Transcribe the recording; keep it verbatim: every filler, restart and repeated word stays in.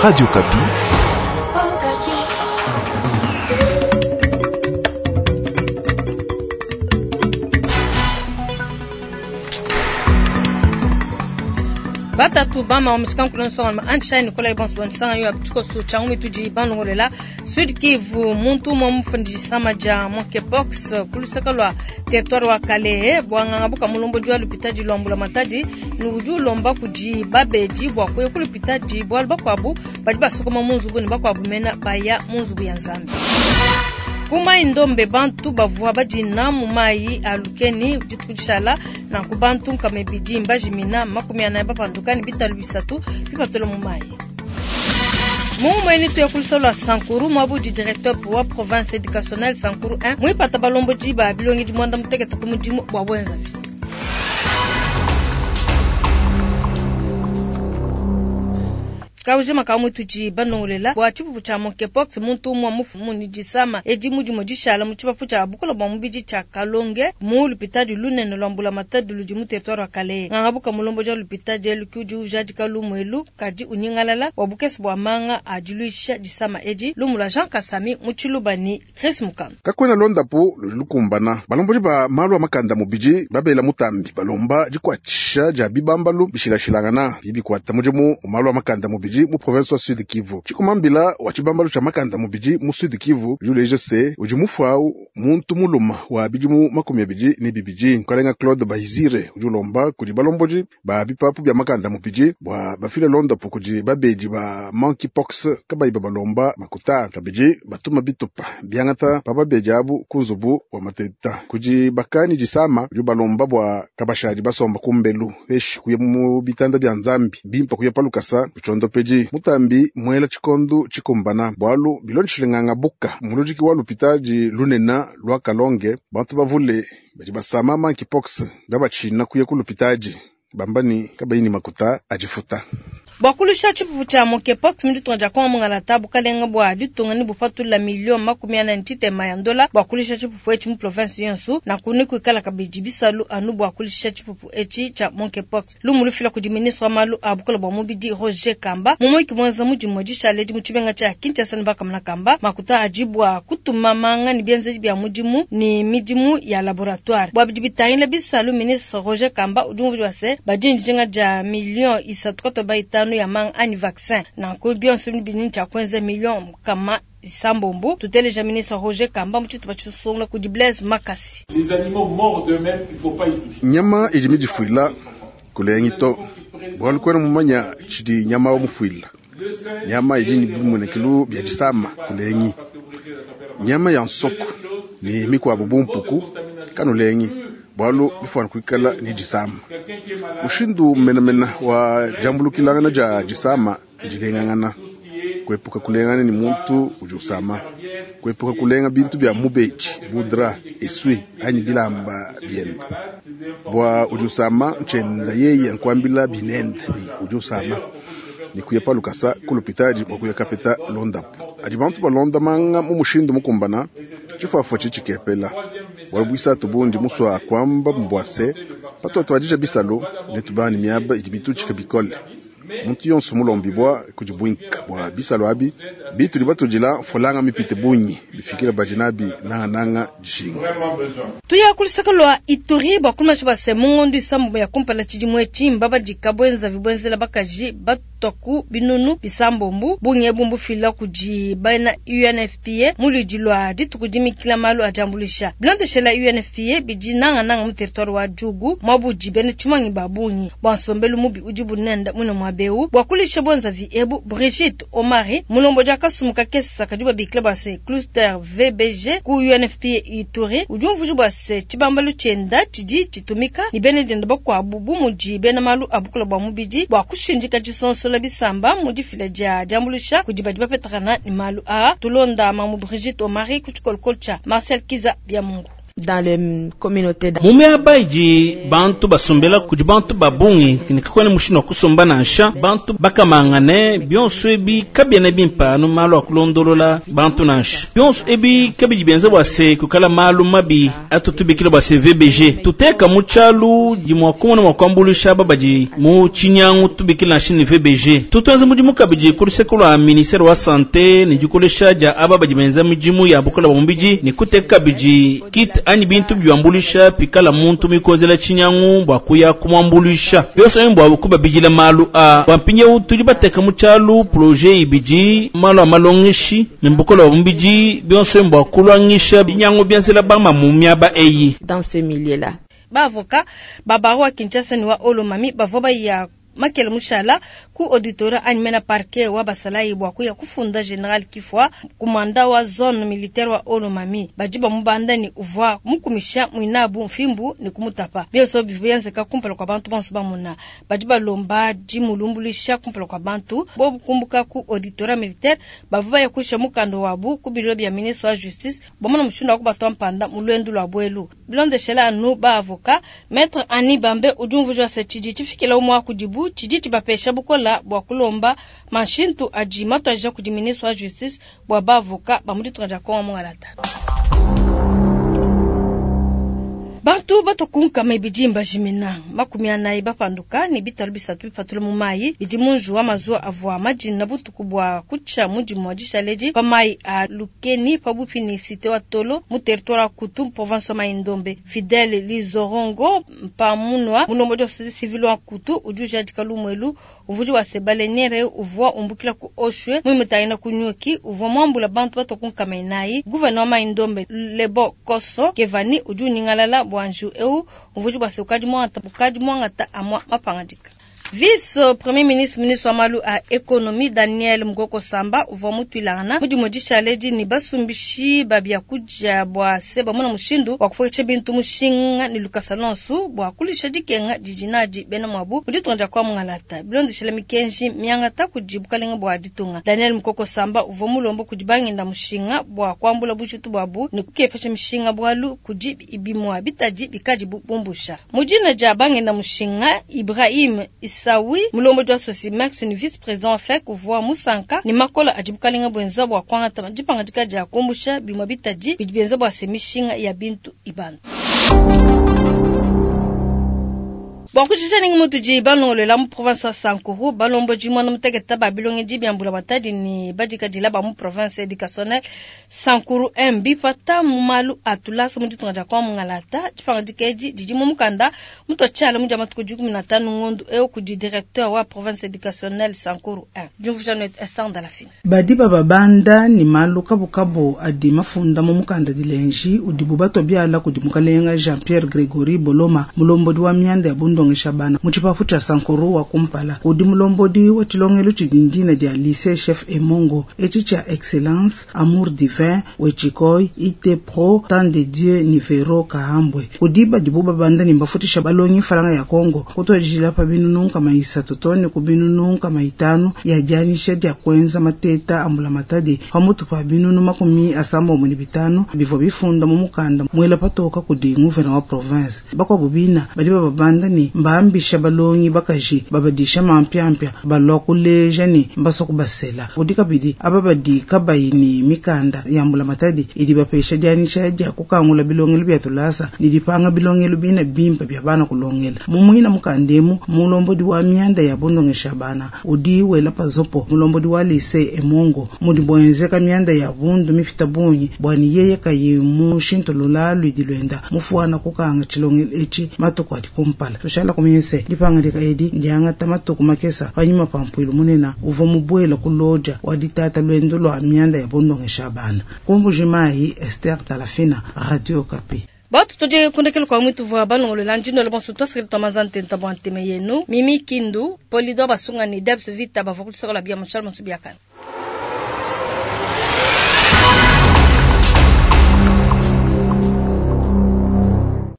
Radio Okapi. Batatu bama wa musikankulu nsonga anshai Nikolai bonso bansanga yo tshikoso tsha mitudi banongolela Sud Kivu muntu umwe mufundisama ja monkeypox kulusaka lwa territoire wa Kalehe bwanganga buka mulombo jwa lupitaji lwa mbula matadi ni ulomba kudi babeji bwa kuya kulupitaji bwa bakwabu badi basokoma munzubu ne bakwabu mena baya munzubu ya Nzambi. Kuma indombe bantu bavua badina mu mai alukeni ditukushala na kubantu nkamebidi mbajimina makumi anaye bapandukani bitalu bisatu bipatolo mu mai. Mumweni tuya kulusolo Sankuru mwabu di directeur wa province éducationnelle Sankuru un mwipata balombo jiba bilongi dimwanda muteketa kumudimu bwa bwenzavi. Kauje makamu tuji banongolela bwa chipupu cha monkeypox muntu umwe mufu muni jisama edi mudi modishala mu chipapu cha bukola bwa mubidi cha Kalonge mu lupitadi lunene lwa mbula matadi ludi mu territoire wa Kalehe ngangabuka mulombo ja lupitadi elu kiudi ujaji kalumu elu kadi unyingalala wa bukesi bwa manga adiluisha jisama edi lumula Jean Kasami mu chilubani Chris Mukano kakwena londapo lukumbana balombo ba malu makanda mubidi babela mutambi balomba jikwatsha ja bibambalu bishilashilangana bibikwata mudimu malu makanda mubidi mu province wa Sud Kivu chikumambila wa chibambalu cha makanda mubidi mu Sud Kivu juleje se udi mufuau muntu muluma wa bidimu makumi abidi ni bibidi nkalenga Claude Bahizire udi ulomba kudi balomboji ba bipapu bya makanda mubidi bwa bafile londapo kudi babedi ba monkeypox kabayi balomba makuta kabidi batuma bitupa byangata pa babedi abu kunzubu wa mateta kudi bakani jisama udi balomba bwa kabashadi basomba kumbelu eshi kuya mu bitanda bya Nzambi bimpa kuya palukasa kuchondopeji mutambi mwela chikondu chikumbana bwalu bilonshilenganga buka mulujiki wa lupitaji lunena lwa Kalonge bantu bavule badi basama monkeypox babachina kuya kulupitaji bambani kabayini makuta ajifuta. Bwakulusha chipupu cha monkeypox mditunga ja kongo mungalata bukalenga bwa ditunga ni bufatula milioni makumi ana ntitema ya ndola bwakulisha chipupu echi mu province yonsu na kuni kuikala kabidi bisalu anu bwakulisha chipupu echi cha monkeypox lumu lufila kudi ministre wa malu a bukola bwa mubidi Roger Kamba mumoiki mwenza mudimu dishaledi mu chibenga cha Kinshasa ni bakamana Kamba makuta ajibwa kutuma manga ni bienzeji bya mudimu ni midimu ya laboratoire bwa bidi bitangila bisalu ministre Roger Kamba udumvu wase badinjinga ja milioni isatu katoba itano ya mang ani vaccin na ko bionso bini cha kwenza million kama sambombo tuteleja ministre Roger Kamba mchitu bachisonga ku Blaise Makasi. Les animaux morts d'eux-mêmes, il faut pas y toucher. Nyama ijimijifuila kulengito bwalu kwena mumanya chidi nyama wa mufuila nyama ijini bimunekilu bya jisama kulengi nyama ya nsoko ni mikwa bubumpuku kanulengi bwalu bifwana kuikala ni jisama ushindu menamena wa jambulukilangana ja jisama jilengangana kuepuka kulengana ni muntu udi usama kuepuka kulenga bintu bya mubeji budra eswi anyi bilamba byenda bwa udi usama nchenda yeye nkwambila binende ni udi usama ni kuya palukasa kulupitaji bwa kuya kapeta londapo adi bantu balonda manga mu mushindu mukumbana chifafo chichikepela walubwisa tubundi muswa kwamba mbwase patwatwa adija bisalo netubani miaba idi bituchika bikole muntu yonso mulombi bwa kujibwinka bwa bisalo abi bitu batujila folanga mipite bunyi bifikira bajinabi nanga nanga jishinga tuya kulisaka lwa Ituri bwa kumasha base mungondo isambo ya kumpala chidimwe chimba badika bwenza vibwenzela bakaji batoku binunu bisambombu bunye bumbu fila kuji baina U N F P A muludi lwa ditukudimikila malu ajambulisha bilondeshela U N F P A bidi nanga nanga mu territoire wa Djugu mwabuji bene chimangi babunyi bwa nsombelu mubi ujibu nenda mwine mwabeu bwa kulisha bwenza vi ebu Brigitte Omari mulombo ja kasumuka kesa kajuba bikila base cluster V B G ku U N F P A Ituri ujumvuju base chibambalu chenda chidi chitumika ni bene denda bakwa bubu muji bena malu abukula bwa mubidi bwa kushinjika chisonsola bisamba mudifila ja jambulisha kudiba diba petrana ni malu a tulonda mamu Brigitte Omari kuchikolkolcha Marcel Kiza bya Mungu. Dans les communautés. Mu miaba idi bantu basombela kudi bantu ba bungi ne kakuena mushindu wa kusomba nansha bantu bakamangane bionso ebi kabiena bimpe anu malu a kulondolola bantu nansha bionso ebi kabidi bienza bua se kukala malu mabi atutubikila bua se V B G tuteka mu tshialu dimua kumona mua kuambuluisha aba badi mu tshinyangu tubikila nansha ne V B G tutuenza mudimu kabidi ku luseke lua ministère wa santé ne dikolesha dia aba badi benza midimu ya bukola bua mubidi ne kuteka kabidi kit anyi bintu byambuluisha pikala muntu mikozela tshinyangu bua kuya kumwambuluisha byonso ebi bua kubabidila malu a bua mpindieu tudi bateka mu tshialu projet ibidi malu a malongeshi ne bukola bua mubidi byonso ebi bua kulwangisha binyangu bienzela bama mu miaba eyi. Dans ce milieu-là. Ba avocat ba barreau wa Kinshasa ni wa Haut-Lomami bavua baya makele mushala ku auditorat anyi mena parquet wa basalayi bua kuya kufunda general Kifwa kumanda wa zone militaire wa Haut-Lomami badi bamubanda ni uvua mukumisha mwinabu mfimbu ni kumutapa bionso bivyenzeka kumpala kwa bantu bonso bamuna badi balomba dimulumbulisha kumpala kwa bantu bobu kumbuka ku auditorat militaire bavua baya kusha mukando wabu ku biro bya ministre wa justice bomona mushindu wa kubatwa mpanda mu lwendu lwa bwelu bilondeshela anu ba avocat maître Annie Bambe udi umvujwa se tshidi tshifikila umwa kudibu tshidi tshibapesha bukola bua kulomba mashintu adi matwaja kudi ministre wa justice bua ba avocat ba mu ditunga dia Kongo mungalata. Bantu batokunkama ibidi mbajimina makumi anayi bapanduka ni bitalu bisatu bipatula mu mayi bidi munju wa mazuwa avua madina butuku bua kutsha mudimu wa dishaledi pa mayi a Lukeni pabupi ni cité wa Tolo mu territoire wa Kutu province wa Mai-Ndombe. Fidèle Lizorongo mpamunwa mulombo wa société civile wa Kutu udi ujadika lumwelu uvuji wa sebaleniere uvua umbukila ku Oshwe mwimitayina ku Nyuki uvua mwambula bantu batokunkama inayi. Gouverneur wa Mai-Ndombe Lebo Koso Kevani udi uningalala bwanju eu uvuji bwa sekadi mwangata bukadi mwangata amwa mapangadika. Vice Premier ministre ministre wa malu a économie Daniel Mukoko Samba uvua mutwilangana mudimu dishaledi ni basumbishi babya kuja bwa se bamona mushindu wa kufuisha bintu mushinga ni Lucas Alonso bwa kulisha dikenga dijinadi bena mwabu muditunga kwa mungalata bilondeshela mikenji miangata kujibukalenga bwa ditunga. Daniel Mukoko Samba uvua mulombo kudibanginda mushinga bwa kwambula bushitu bwabu ni kukepesha mishinga bwalu kudi ibimwa bitaji bikadi bumbusha mujina ja banginda mushinga Ibrahim Sawi mulombo wa Sosimax ni vice président wa F E C uvua musanka ni makola ajibukalenga bwenza bwa kwangata dipangadika dia kumbusha bimwa bitaji bidi byenza bwa semishinga ya bintu ibana. Bwa kuchisha ningi mutu ji balongolela mu province wa Sankuru balombo ji mwana muteketa ba bilonge ji byambula batadi ni badika dila ba mu province éducationnelle Sankuru M B pata mu malu atulasa mu ditunga dia kwa mungalata dipangadika edi didi mu mukanda mutu tshala mu dia matuku dikumi na tanu ngondu eo kudi directeur wa province éducationnelle Sankuru un. Jumvuja net instant dans la fin. Badi baba banda ni malu kabukabu adi mafunda mu mukanda dilenji udibu bato byala kudi mukalenga Jean-Pierre Gregory Boloma mulombodi wa mianda ya bundo Shabana muchipafu cha Sankuru wa kumpala udi mulombodi wa chilongelo chidindina dia lycée chef Emongo eci cha excellence amour divin wechikoi ite pro tant de Dieu nivero kahambwe udi badibu babanda ni mbafutisha balongi falanga ya Kongo kutojila pa binunu kama isatu tone ku binunu kama itanu ya janisha dia kwenza mateta ambula matadi pamutu pa binunu makumi asambo mu bitano bivo bifunda mu mukanda mwela patoka kudi nguvena wa province bakwa bubina badi babanda ni mbambisha balongi bakaji babadisha mampyampya balwa kuleja ni mbaso kubasela udi kabidi ababadi kabayi ni mikanda yambula matadi idi bapesha dianisha dia kukangula bilongelo bya tulasa ni dipanga bilongelo bina bimpa bya bana kulongela mumuina mukandemu mulombodi wa mianda ya bundongesha bana udi wela pazopo mulombodi wa lycée Emongo mudi bwenzeka mianda ya bundu mifita bunyi bwani yeye kayi mushintulula lwidi lwenda mufuana kukanga chilongelo echi matuku adi kumpala tushala kumense dipangadika edi ndiangata matuku makesa panyima pampwilu munena uva mubwela kuloja waditata lwendo lwa mianda ya bundongesha bana kumbujimayi Esther Talafina Radio Kapi. Batu tuje kundekelo kwa mwitu vwa balongolola ndino le bonso tosikili tomazante ntabwa nteme yenu Mimi Kindu Polido basunga ni Debs Vita bavukulisaka la bia mshal monsu biakana.